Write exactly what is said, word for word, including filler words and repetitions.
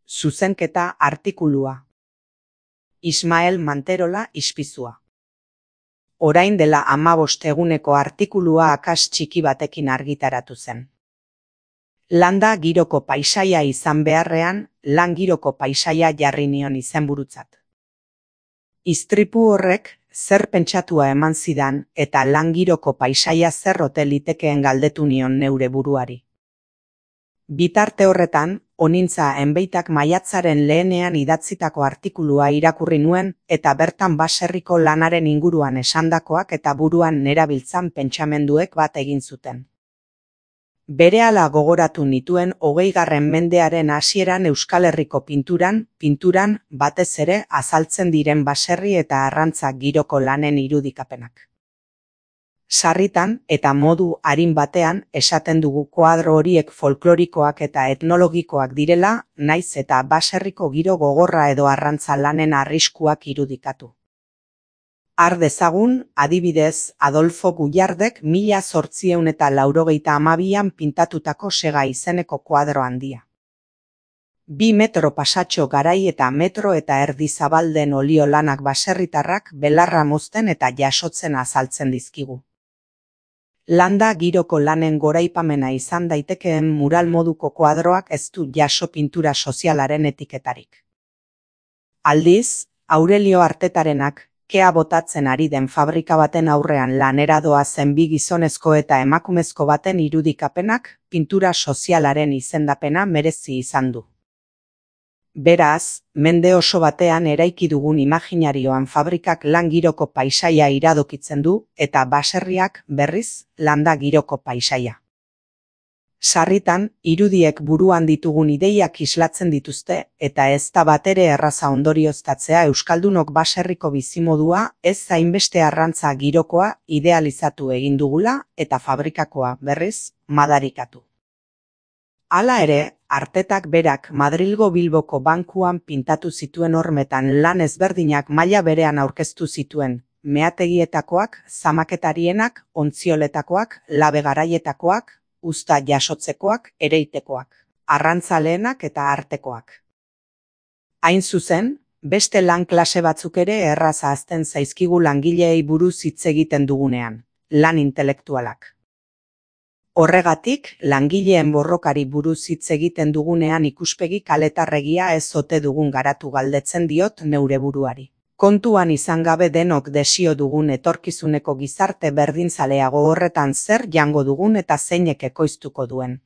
Zuzenketa artikulua. Ismael Manterola ispizua. Orain dela hamabost eguneko artikulua akas txiki batekin argitaratu zen. Landa giroko paisaia izan beharrean, lan giroko paisaia jarri nion izenburutzat. Istripu horrek zer pentsatua eman zidan eta lan giroko paisaia zer ote litekeen galdetu nion neure buruari. Bitarte horretan, onintza enbeitak maiatzaren lehenean idatzitako artikulua irakurri nuen eta bertan baserriko lanaren inguruan esandakoak eta buruan nerabiltzan pentsamenduek bat egin zuten. Berehala gogoratu nituen hogeigarren mendearen hasieran Euskal Herriko pinturan, pinturan batez ere azaltzen diren baserri eta arrantza giroko lanen irudikapenak. Sarritan eta modu arin batean esaten dugu koadro horiek folklorikoak eta etnologikoak direla, naiz eta baserriko giro gogorra edo arrantza lanen arriskuak irudikatu. Har dezagun, adibidez, Adolfo Gullardek mila zortziehun eta laurogeita hamabian pintatutako Sega izeneko koadro handia. Bi metro pasatxo garai eta metro eta erdi zabalden olio lanak baserritarrak belarra mozten eta jasotzen azaltzen dizkigu. Landa giroko lanen goraipamena izan daitekeen mural moduko koadroak ez du jaso pintura sozialaren etiketarik. Aldiz, Aurelio Artetarenak, kea botatzen ari den fabrika baten aurrean lanera doazen bi gizonezko eta emakumezko baten irudikapenak pintura sozialaren izendapena merezi izan du. Beraz, mende oso batean eraiki dugun imaginarioan fabrikak lan giroko paisaia iradokitzen du eta baserriak berriz landa giroko paisaia. Sarritan, irudiek buruan ditugun ideiak islatzen dituzte eta ez da batere erraza ondorioztatzea euskaldunok baserriko bizimodua ez zainbeste arrantza girokoa idealizatu egin dugula eta fabrikakoa berriz madarikatu. Hala ere, Artetak berak Madrilgo Bilboko bankuan pintatu zituen hormetan lan ezberdinak maila berean aurkeztu zituen, meategietakoak, zamaketarienak, ontzioletakoak, labe-garaietakoak, uzta jasotzekoak, ereitekoak, arrantzaleenak eta artekoak. Hain zuzen, beste lan klase batzuk ere erraz ahazten zaizkigu langileei buruz hitz egiten dugunean, lan intelektualak. Horregatik, langileen borrokari buruz hitz egiten dugunean ikuspegi kaletarregia ez ote dugun garatu galdetzen diot neure buruari. Kontuan izan gabe denok desio dugun etorkizuneko gizarte berdinzaleago horretan zer jango dugun eta zeinek ekoiztuko duen.